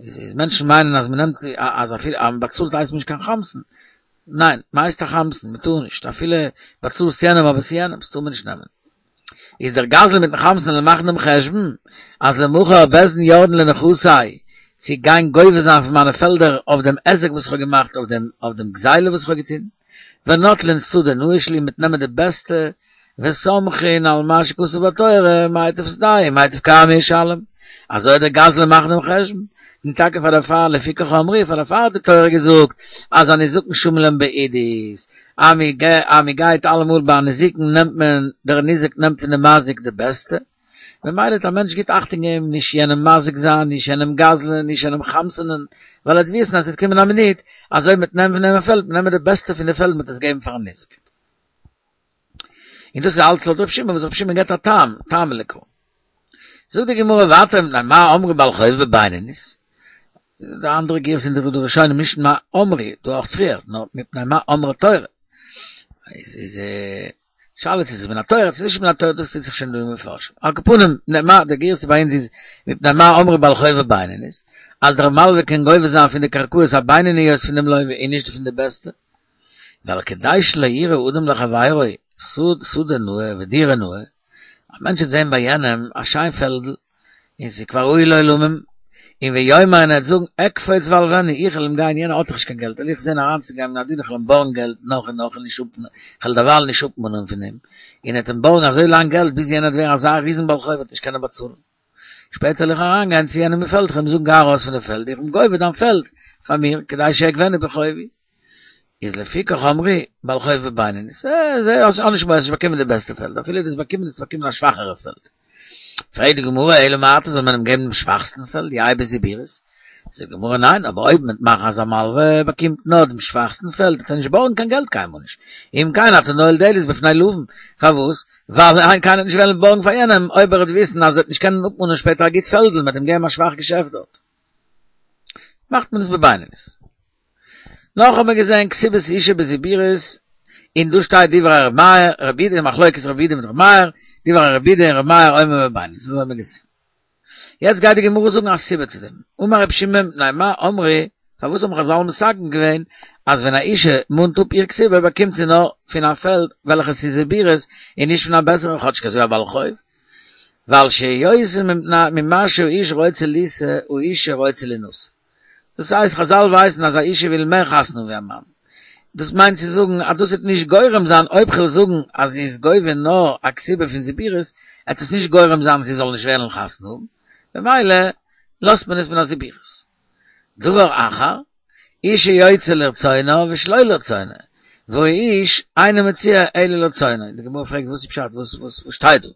איז איז מענטשן מיינען אז מ'נעמט אז אפילו אז מ'באצאלט הייסט מען נישט קיין חמסן, ניין, מ'הייסט א חמסן, מ'טאר נישט, אפילו באצאלסט יענעם אבער ס'איז יענעמ'ס טאר מען נישט נעמען. איז דער גזלן מיטן חמסן וועלן מאכן דעם חשבון אז למחר בית דין יורדין לנכסי צו גיין גובה זיין פון מיינע פעלדער אויף דעם היזק וואס איך האב געמאכט אויף דעם אויף דעם גזילה וואס איך האב געטון, ונוטלין שדה נאה שלי מ'וועט נעמען די בעסטע וסומכין על מה שכתוב בתורה מיטב שדהו מיטב כרמו ישלם, אזוי וועט דער גזלן מאכן דעם חשבון, און טאקע פאר דערפאר לפיכך אמרו פאר דערפאר האט די תורה געזאגט אז הניזקין שמין להם בעידית, אז מען גייט אלעמאל ביי א נזיקין נעמט מען, דער ניזק נעמט פון די מזיק די בעסטע, ממילא וועט א מענטש גוט אכטונג געבן נישט יענעם מזיק זיין, נישט יענעם גזל'ען, נישט יענעם חמס'ענען, ווייל ער וועט וויסן אז עס וועט קומען א מינוט אז אויב מען וועט נעמען פון אים א פעלד, מען נעמען די בעסטע פון די פעלד מען וועט עס געבן פארן ניזק. און דאס איז אלץ לויט ר' שמעון וואס ר' שמעון געבט א טעם, טעמא לקרא. זאגט די גמרא ווייטער מפני מה אמרו בעל חוב בבינונית, די אנדערע גירסא אין די ראשונים נישט מה אמרו, דא אויך פריער, נאר מפני מה אמרה תורה. איז איז שאלה צו ס'איז מן התורה צו נישט מן התורה דאס טוט זיך שוין דא אין מפרשים. על כל פנים, מפני מה, די גירסא ביי אונז איז מפני מה אמרו בעל חוב בבינונית, אז דער מלווה קען גובה זיין פון די קרקעות הבינוניות פון דעם לווה און נישט פון די בעסטע. ווייל כדי שלא יראה אדם לחבירו שדה נאה ודירה נאה, א מענטש וועט זען ביי יענעם א שיין פעלדל, און ס'איז כבר ראוי לעולמים, און ויאמר און ער וועט זאגן אקפוץ ואלונו, איך וועל אים גיין, יענער האט דאך נישט קיין געלט, וועל איך זען אריינצוגיין אין א דיל, איך וועל אים בארגן געלט נאך און נאך און נישט אפ, איך וועל דערווייל נישט אפמאנען פון אים, און ער וועט אים בארגן אזוי לאנג געלט ביז יענער וועט ווערן אזא ריזן בעל חוב וועט נישט קענען באצאלן. שפעטער וועל איך אריינגיין צו יענעם אין פעלד, איך וועל אים זאגן גיי ארויס פון די פעלד, איך בין גובה דיין פעלד פאר מיר, כדי שאגבנו בחובי. איז לפיכך אמרו בעל חוב בבינונית, זיי האסט נישט מורא, האסט נישט באקומען די בעסטע פעלד, אפילו דו האסט באקומען האסטו באקומען א שוואכערע פעלד. פרעגט די גמרא אלא מעתה זאל מען אים געבן דעם שוואכסטן פעלד, יהא בזיבורית? זאגט די גמרא ניין, אבער אויב מ'וועט מאכן אז א מלווה באקומט נאר דעם שוואכסטן פעלד וועט ער נישט בארגן קיין געלט קיינמאל נישט, אם כן אתה נועל דלת בפני לווין, פארוואס? ווייל קיינער וועט נישט וועלן בארגן פאר יענעם אויב ער וועט וויסן אז ער וועט נישט קענען אפמאנען שפעטער א גוט פעלדל, מ'וועט אים געבן א שוואך געשעפט דארט. מאכט מען עס בבינונית. נאך האט מען געזען כתובת אשה בזיבורית, און דא שטייט דברי ר' מאיר, רבי יהודה, מחלוקת רבי יהודה מיט ר' מאיר, דברי רבי יהודה און ר' מאיר אומר בבינונית, אזוי האט מען געזען. יעצט גייט די גמרא זאגן א סיבה צו דעם, אמר רבי שמעון מפני מה אמרו, פארוואס האבן חזל מתקן געווען אז ווען א אישה מאנט אפ איר כתובה באקומט זי נאר פון א פעלד וועלכעס איז זיבורית און נישט פון א בעסערע כאטשיג אזוי א בעל חוב, ווייל שיותר ממה שהאיש רוצה לישא האישה רוצה לינשא. דאס הייסט, חז"ל ווייסן אז א אישה וויל מער חתונה ווי א מאן. דאס מיינט צו זאגן אז דאס וועט נישט גורם זיין, אויב כ'וועל זאגן אז זי איז גובה נאר א כתובה פון זיבורית, עט עס נישט גורם זיין זי זאל נישט וועלן חתונה האבן, במילא לאזט מען עס מן הזיבורית. דבר אחר, אישה יוצאה לרצונה ושלא לרצונה, והאיש אינו מוציאה אלא לרצונו. די גמרא פרעגט וואס איז פשט, וואס וואס שטייט דא?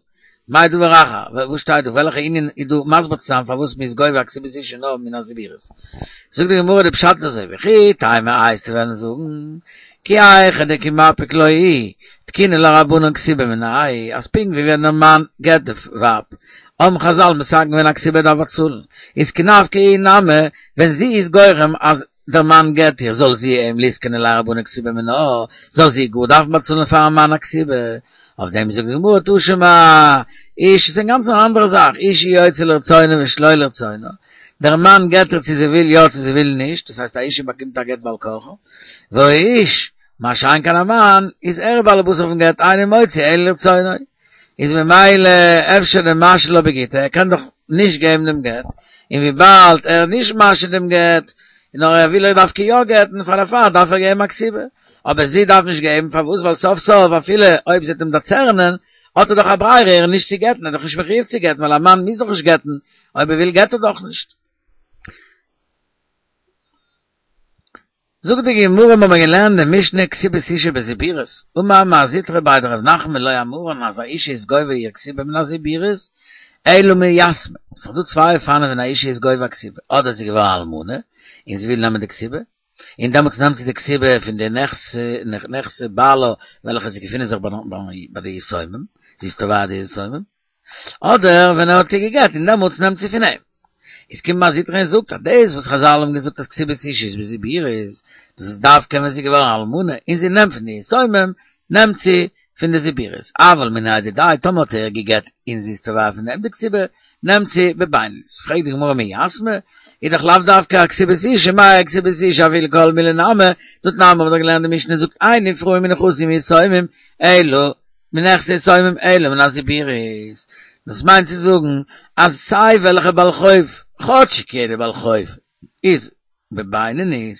מאי דבר אחר, וואס שטייט דא, וועלכע ענין איז דא מסביר צו זיין פארוואס מ'איז גובה א כתובת אישה נאר מן הזיבורית? זאגט די גמרא די פשט איז אזוי, וכי תימא וועסטו וועלן זאגן, כי היכי דכי מפיק לה הוא, תקינו לה רבנן כתובה מיניה, אז פונקט ווי ווען דער מאן גט די ווייב, האבן חז"ל מתקן געווען א כתובה דארף באצאלן, איז כי נפקא איהי נמי, ווען זי איז גורם אז דער מאן גט איר, זאל זי אים ליתקנו ליה רבנן כתובה מינה, זאל זי גאר דארפן באצאלן פארן מאן א כתובה. אויף דעם זאגט די גמרא תא שמע, אישה איז אינגאנצן אן אנדערע זאך, אישה יוצאה לרצונה ושלא לרצונה, דער מאן גט איר צו זי וויל יא צו זי וויל נישט, דאס הייסט א אישה באקומט א גט בעל כרחה, והאיש, מה שאין כן א מאן, איז ער בעל הבית אויפן גט, אינו מוציא אלא לרצונו, איז ממילא אפשר דמשהי לה בגיטה, ער קען דאך נישט געבן דעם גט, און וויבאלד ער איז נישט משהה דעם גט, נאר ער וויל איר דווקא יא גט'ן, פאר דערפאר דארף ער געבן א כתובה, אבער זי דארף נישט געבן, פארוואס? ווייל סוף סוף אפילו אויב זי וועט אים דערצערענען, האט ער דאך א ברירה איר נישט צו גט'ן, ער איז דאך נישט מחויב צו גט'ן, ווייל א מאן מוז דאך נישט גט'ן, אויב ער וויל גט ער דאך נישט. זאגט די גמרא מיר האבן געלערנט די משנה כתובת אישה בזיבורית, אמר מר זוטרא בי דרב נחמן לא אמרן אז א אישה איז גובה איר כתובה מן הזיבורית, אלא מיתמי, ס'איז דאך דא צוויי אופנים ווען א אישה איז גובה א כתובה, אדער זי איז געווארן אלמנה און זי וויל נעמען די כתובה, און דעמאלטס נעמט זי די כתובה פון די נכסי בעלה וועלכע זיי געפינען זיך ביי די יתומים, זי איז תובע די יתומים, אדער ווען ער האט איר גע'גט און דעמאלטס נעמט זי פון אים. איז קומט מר זוטרא און זאגט אז דאס וואס חז"ל האבן געזאגט אז כתובת אישה איז בזיבורית, דאס איז דווקא ווען זי איז געווארן אלמנה און זי נעמט פון די יתומים, נעמט זי פון די זיבורית, אבל מיניה דידיה, טאמער האט ער איר גע'גט און זי איז תובע פון אים די כתובה, נעמט זי בבינונית. פרעגט די גמרא מיתמי, איז דאך לאו דווקא א כתובת אישה, מאי כתובת אישה אפילו כל מילי נמי, דתנן האבן מיר דאך געלערנט די משנה זאגט אין נפרעין מנכסי יתומים אלא מנכסי יתומים אלא מן הזיבורית, דאס מיינט צו זאגן אז סיי וועלכע בעל חוב, כאטשיג יעדער בעל חוב איז בבינונית,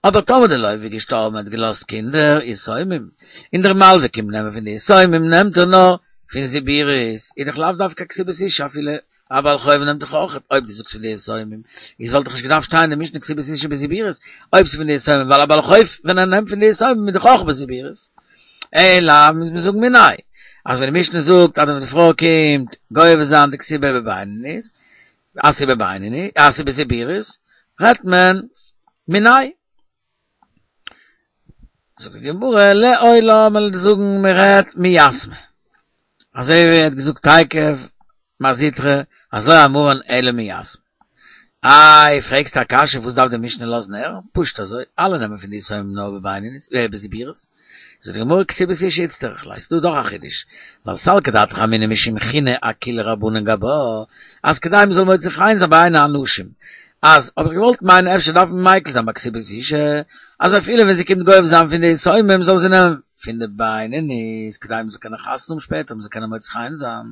אבער טאמער דער לוה איז געשטארבן און האט געלאזט קינדער יתומים, און דער מלווה קומט נעמען פון די יתומים נעמט ער נאר פון זיבורית, איז דאך לאו דווקא כתובת אישה אפילו א בעל חוב נעמט דאך אויך, אויב דו זאגסט פון די יתומים, איז וואלט דאך נישט געדארפט שטיין אין די משנה כתובת אישה בזיבורית, אויב ס'איז פון די יתומים, ווייל א בעל חוב ווען ער נעמט פון די יתומים איז דאך אויך בזיבורית. אלא מוז מען זאגן מיניה, אז ווען די משנה זאגט אז ווען די פרוי קומט גובה זיין די כתובה בבינונית, אז ס'איז בבינונית, אז ס'איז בזיבורית, רעדט מען מיניה. זאגט די גמרא, לעולם וועל איך זאגן מען רעדט מיתמי. אזוי ווי ער האט געזאגט תיכף מר זוטרא, אז לא אמרן אלא מיתמי. איי, פרעגסטו א קשיא וואס דארף די משנה לאזן הערן? פשוט אזוי, אלע נעמען פון די יתומים נאר בבינונית, בזיבורית. זאגט די גמרא כתובת אישה איצטריך ליה, ס'דא דאך א חידוש, ווייל סלקא דעתך אמינא משום חינא אקילו רבנן גבה, אז כדי מ'זאל מוצא חן זיין בעיני אנשים, אז האב איך געוואלט מיינען אפשר דארף מען מיקל זיין ביי כתובת אישה, אז אפילו ווען זי קומט גובה זיין פון די יתומים זאל זי נעמען פון די בינונית, כדי מ'זאל קענען חתונה האבן שפעטער, מ'זאל קענען מוצא חן זיין.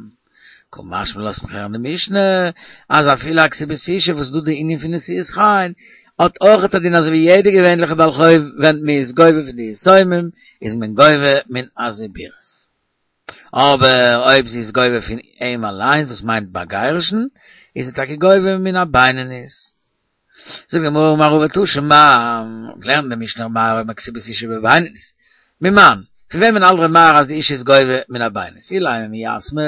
קא משמע לן לאזט מיך הערן די משנה, אז אפילו א כתובת אישה וואס איז דא די ענין פון נשיאת חן, האט אויך א דין אזוי ווי יעדע געווענליכע בעל חוב ווען מען איז גובה פון די יתומים איז מען גובה מן הזיבורית. אבער אויב זי איז גובה פון אים אליינס דאס מיינט ביי גירושין, איז זי טאקע גובה מן הבינונית. זאגט די גמרא אמר רבא תא שמע, געלערנט אין די משנה ר' מאיר אומר כתובת אישה בבינונית, ממאן, פון וועמען האלט ר' מאיר אז די אישה איז גובה מן הבינונית? אילימא מיתמי,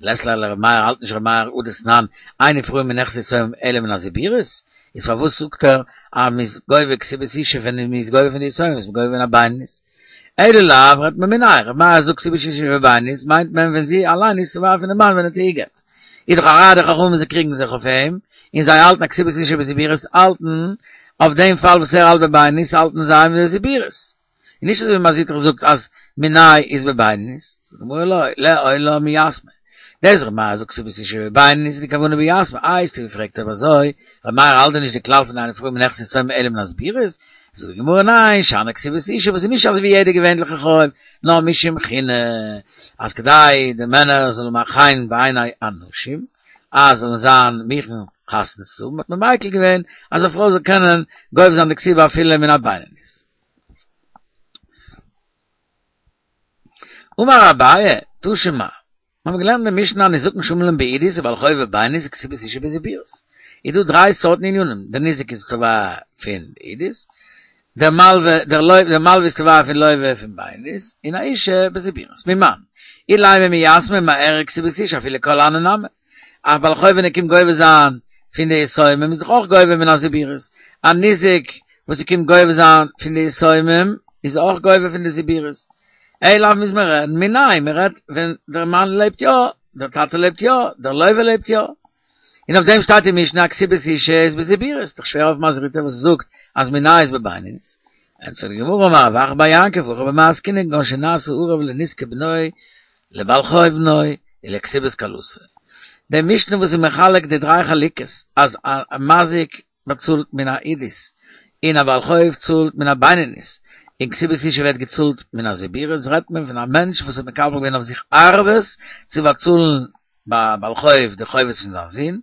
לית ליה לר' מאיר האלט נישט ר' מאיר הא דתנן אין נפרעין מנכסי יתומים אלא מן הזיבורית, איז פארוואס זאגט ער אז מ'איז גובה כתובת אישה ווען מ'איז גובה פון די יתומים איז מען גובה מן הבינונית? אלא לאו רעדט מען מיניה, ר' מאיר זאגט כתובת אישה בבינונית מיינט מען ווען זי אליין איז תובע פון די מאן ווען ער האט איר גע'גט. איז דאך א ראיה די חכמים זיי קריגן זיך אויף אים, און זיי האלטן אז כתובת אישה בזיבורית האלטן אויף דעם פאל וואס ער האלט בבינונית האלטן זיי מיט די זיבורית. און נישט אזוי ווי מר זוטרא זאגט אז מיניה איז בבינונית, זאגט די גמרא לא, לעולם מיתמי. דאס ר' מאיר זאגט כתובת אישה בבינונית איז די כוונה ביתמי, איי האסטו געפרעגט אויב אזוי, ר' מאיר האלט דען נישט די כלל פון אין נפרעין מנכסי יתומים אלא מן הזיבורית? זאגט די גמרא ניין, שאני כתובת אישה וואס איז נישט אזוי ווי יעדע געווענליכע חוב, נאר משום חינא, אז כדי די מענער זאלן מאכן חן בעיני אנשים, אז זאלן זיין מוכן חתונה צו האבן, האט מען מיקל געווען אז א פרוי זאל קענען גובה זיין די כתובה אפילו מן הבינונית. אמר אביי, תא שמע, מיר האבן געלערנט אין משנה הניזקין שעמלין בעידית ובעל חוב בבינונית וכתובת אשה בזיבורית. איז דא דריי סארטן ענינים, דער ניזק איז תובע פון עידית, דער מלווה, דער לוה, דער מלווה איז תובע פון לוה פון בינונית, און א אשה בזיבורית. ממאן? אילימא מיתמי מערער כתובת אשה אפילו כל הני נמי. א בעל חוב ווען ער קומט גובה זיין פון די יתומים איז דאך אויך גובה מן הזיבורית. א ניזק וואס ער קומט גובה זיין פון די יתומים איז אויך גובה פון די זיבורית. אלא מוז מען רעדן מיניה, מען רעדט ווען דער מאן לעבט יא, דער טאטע לעבט יא, דער לוה לעבט יא. און אויף דעם שטייט אין משנה אז כתובת אשה איז בזיבורית, דאך שווער אויף מזריטא וואס זאגט אז מיניה איז בבינונית. ענטפערט די גמרא אמר רב אחא בר יעקב הכא במאי עסקינן כגון שנעשה ערב לנזקי בנו לבעל חוב בנו ולכתובת כלתו. די משנה וואס איז מחלק די דריי חלוקות אז א מזיק באצאלט מן העידית און א בעל חוב צאלט מן הבינונית און כתובת אשה ווערט געצאלט מן הזיבורית רעדט מען פון א מענטש וואס האט מקבל געווען אויף זיך ערבות צו באצאלן ביי בעל חוב די חובות פון זיין זון,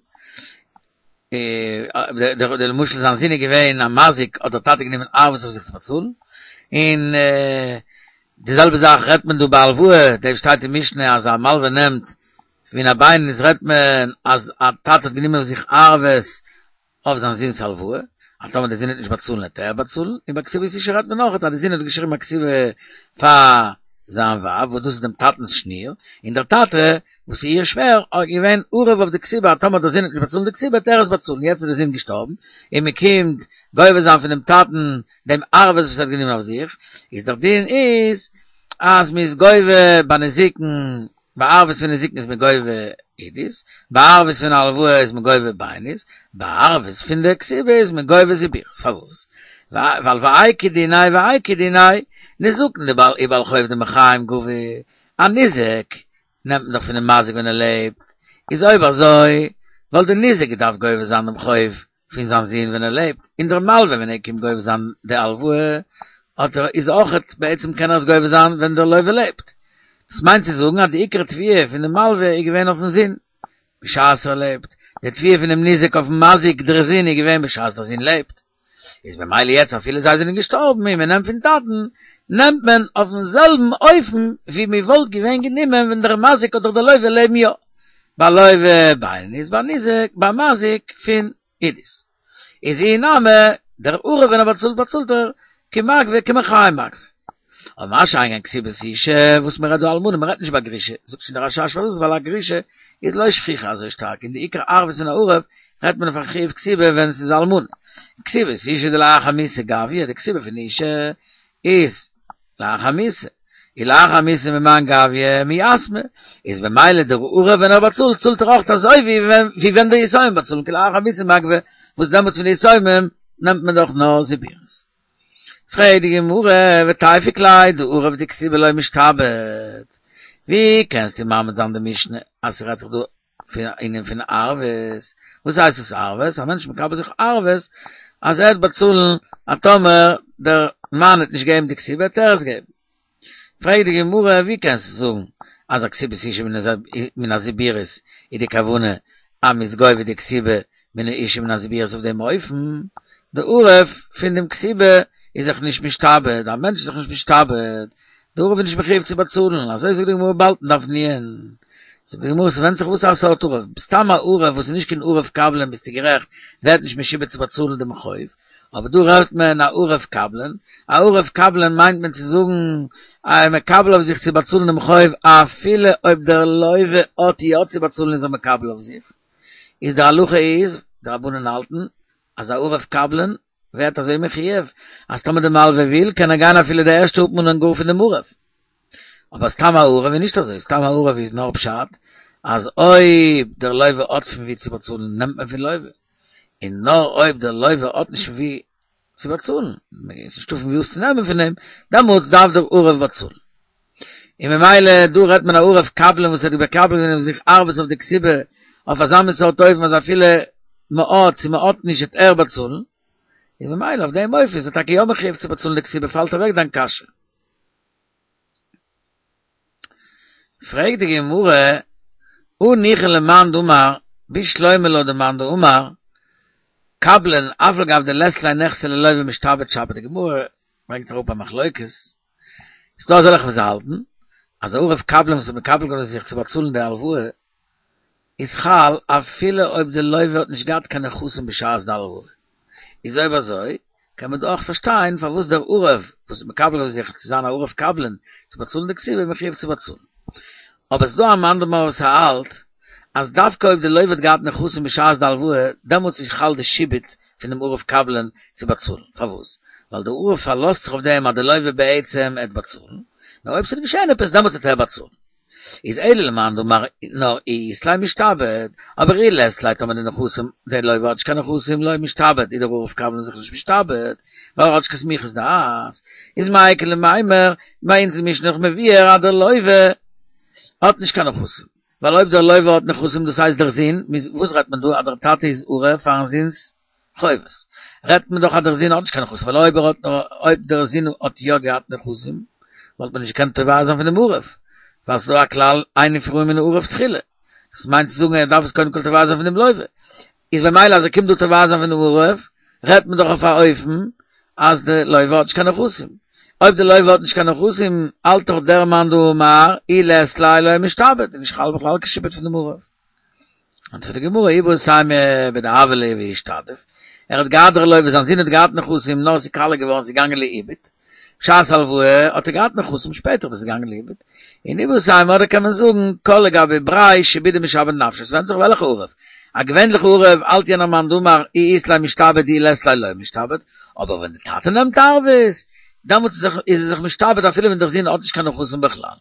די למשל זיין זון איז געווען א מזיק האט דער טאטע גענומען ערבות אויף זיך צו באצאלן, און די זעלבע זאך רעדט מען דא ביי הלוואה, דא שטייט אין משנה אז א מלווה נעמט מן הבינונית רעדט מען אז א טאטע האט גענומען אויף זיך ערבות אויף זיין זון'ס הלוואה, אז טאמער דער זון וועט נישט באצאלן וועט ער באצאלן, און ביי כתובת אשה רעדט מען אויך אז דער זון האט געשריבן א כתובה פאר זיין ווייב וואס דאס איז דעם טאטנ'ס שניר, און דער טאטע וואס איז איר שווער איז געווען ערב אויף די כתובה אז טאמער דער זון וועט נישט באצאלן די כתובה וועט ער עס באצאלן, יעצט איז דער זון געשטארבן און מען קומט גובה זיין פונעם טאטן דעם ערבות וואס ער האט גענומען אויף זיך, איז דער דין איז אז מען איז גובה ביי נזיקין ביי ערבות פון נזיקין איז מען גובה עידית, ביי ערבות פון הלוואה איז מען גובה בינונית, ביי ערבות פון די כתובה איז מען גובה זיבורית, פארוואס? ווייל ואיכא דיניה ואיכא דיניה, נזקין דבעל ובעל חוב דמחיים גבו, א ניזק נעמט מען דאך פונעם מזיק ווען ער לעבט, איז אויב אזוי וואלט די ניזק געדארפט גובה זיין דעם חוב פון זיין זון ווען ער לעבט, און דער מלווה ווען ער קומט גובה זיין די הלוואה האט ער איז אויכעט בעצם קען ער עס גובה זיין ווען דער לווה לעבט. דאס מיינט צו זאגן אז די עיקר תביעה פון די מלווה איז געווען אויפן זון בשעת ער לעבט, די תביעה פונעם ניזק אויפן מזיק דער זון איז געווען בשעת דער זון לעבט. איז במילא יעצט אפילו זיי זענען געשטארבן און מען נעמט פון טאטן, נעמט מען אויפן זעלבן אופן ווי מען וואלט געווען גענומען ווען דער מזיק אדער דער לווה לעבן יא. ביי לווה בינונית ביי ניזק ביי מזיק פון עידית. איז אי נמי דער ערב ווען ער באצאלט באצאלט ער כמגבה כמחיים מגבה. אבער מה שאין כן כתובת אשה וואס מען רעדט דא אלמנה מען רעדט נישט ביי גרושה זאגט שוין דער רשש פארוואס ווייל א גרושה איז לא שכיחא אזוי שטארק און די עיקר ערבות פון א ערב רעדט מען אויף א חיוב כתובה ווען עס איז אלמנה. כתובת אשה דלאחר מיתה גביא די כתובה פון אשה איז לאחר מיתה, און לאחר מיתה ממאן גביא מיתמי, איז במילא דער ערב ווען ער באצאלט צאלט ער אויך אזוי ווי ווען די יתומים באצאלן כי לאחר מיתה מגבי, וואס דעמאלטס פון די יתומים נעמט מען דאך נאר זיבורית. פרעגט די גמרא, ותיפוק ליה דערב דכתובה לא משתעבד, ווי קענסטו מעמיד זיין די משנה אז ס'רעדט זיך דא פון א ענין פון ערבות, וואס הייסט עס ערבות? א מענטש מקבל זיך ערבות אז ער וועט באצאלן אז טאמער דער מאן וועט נישט געבן די כתובה וועט ער עס געבן. פרעגט די גמרא ווי קענסטו זאגן אז א כתובת אשה מן הזיבורית איז די כוונה אז מ'איז גובה די כתובה מן האשה מן הזיבורית אויף דעם אופן? די ערב פון דעם כתובה איז זיך נישט משתעבד, א מענטש איז זיך נישט משתעבד, די ערב איז נישט מחויב צו באצאלן, אזוי זאגט די גמרא באלד אין דף נ'. זאגט די גמרא ס'ווענדט זיך וואס א סארט ערב, סתם א ערב וואס איז נישט קיין ערב קבלן ביסטו גערעכט ווערט נישט משועבד צו באצאלן דעם חוב, אבער דא רעדט מען א ערב קבלן, א ערב קבלן מיינט מען צו זאגן אז ער מקבל אויף זיך צו באצאלן דעם חוב אפילו אויב דער לווה האט יא צו באצאלן איז ער מקבל אויף זיך, איז די הלכה איז, די רבנן האלטן, אז א ערב קבלן ווערט אזוי מחויב אז טאמער די מלווה וויל קען ער גיין אפילו די ערשטע אפמאנען גאר פון דעם ערב. אבער סתם א ערב איז נישט אזוי, סתם א ערב איז נאר פשט אז אויב דער לווה האט פון ווי צו באצאלן נעמט מען פון לווה, און נאר אויב דער לווה האט נישט פון ווי צו באצאלן, ס'איז נישטא פון ווי עס צו נעמען פון אים, דעמאלטס דארף דער ערב באצאלן. און ממילא דא רעדט מען א ערב קבלן וואס האט מקבל געווען אויף זיך ערבות אויף די כתובה אויף אזא מין סארט אופן אז אפילו מ'האט צו מ'האט נישט וועט ער באצאלן, און ממילא אויף דעם אופן איז ער טאקע יא מחויב צו באצאלן די כתובה פאלט אוועק דיין קשיא. פרעגט די גמרא, הניחא למאן דאמר בשלמא לויט די מאן דאמר קבלן אף על גב דלית ליה נכסי ללוה משתעבד שפיר די גמרא ברענגט אראפ א מחלוקת ס'איז דא אזעלכע וואס האלטן אז א ערב קבלן וואס האט מקבל געווען זיך צו באצאלן די הלוואה איז חל אפילו אויב די לוה האט נישט געהאט קיין נכסים בשעת די הלוואה איז אויב אזוי קען מען דא אויך פארשטיין פארוואס דער ערב וואס איז מקבל געווען זיך צו זיין א ערב קבלן צו באצאלן די כתובה איז מחויב צו באצאלן. אבער ס'דא א מאן דאמר וואס האלט אז דווקא אויב די לוה האט געהאט נכסים בשעת די הלוואה דעמאלטס איז חל די שעבוד פון דעם ערב קבלן צו באצאלן. פארוואס? ווייל דער ערב פארלאזט זיך אויף דעם אז די לוה בעצם עט באצאלן, נאר אויב ס'וועט געשען עפעס דעמאלטס וועט ער באצאלן. איז אלא למאן דאמר נאר אי אית ליה משתעבד, אבער אי לית ליה טאמער די נכסים, די לוה האט נישט קיין נכסים לא משתעבד, איז דער ערב קבלן זיך נישט משתעבד, ווייל ער האט נישט קיין סמיכות דעת, איז מאי איכא למימר, ביי אונז אין משנה נאך מבואר אז דער לוה האט נישט קיין נכסים, ווייל אויב דער לוה האט נכסים דאס הייסט דער זון, וואס רעדט מען דא אז דער טאטע איז ערב פארן זון'ס חובות, רעדט מען דאך אז דער זון האט נישט קיין נכסים, ווייל אויב ער האט אויב דער זון האט יא געהאט נכסים, וואלט מען נישט געקענט תובע זיין פון דעם ערב, ווייל ס'איז דא א כלל אין נפרעין מן הערב תחילה, דאס מיינט צו זאגן ער דארף עס קודם כל תובע זיין פון דעם לוה, איז במילא אז ער קומט דא תובע זיין פון דעם ערב, רעדט מען דאך אויף א אופן אז די לוה האט נישט קיין נכסים, אויב די לוה האט נישט קיין נכסים, האלט דאך דער מאן דאמר אי לית ליה לא משתעבד, איז נישט חל בכלל קיין שעבוד פון דעם ערב. ענטפערט די גמרא איבעית אימא בדהוה ליה ואישתדיף, ער האט געהאט דער לוה זיין זון האט געהאט נכסים נאר עס איז קאליע געווארן עס איז געגאנגען לאיבוד, בשעת הלוואה האט ער געהאט נכסים שפעטער איז עס געגאנגען לאיבוד, און איבעית אימא אדער קען מען זאגן כל לגבי בריה שעבודי משעבד נפשיה, עס ווענדט זיך וועלכע ערב, א געווענליכע ערב האלט יענער מאן דאמר אי אית ליה משתעבד אי לית ליה לא משתעבד, אבער ווען די טאטע נעמט ערבות דעמאלטס איז ער זיך משתעבד אפילו ווען דער זון האט נישט קיין נכסים בכלל.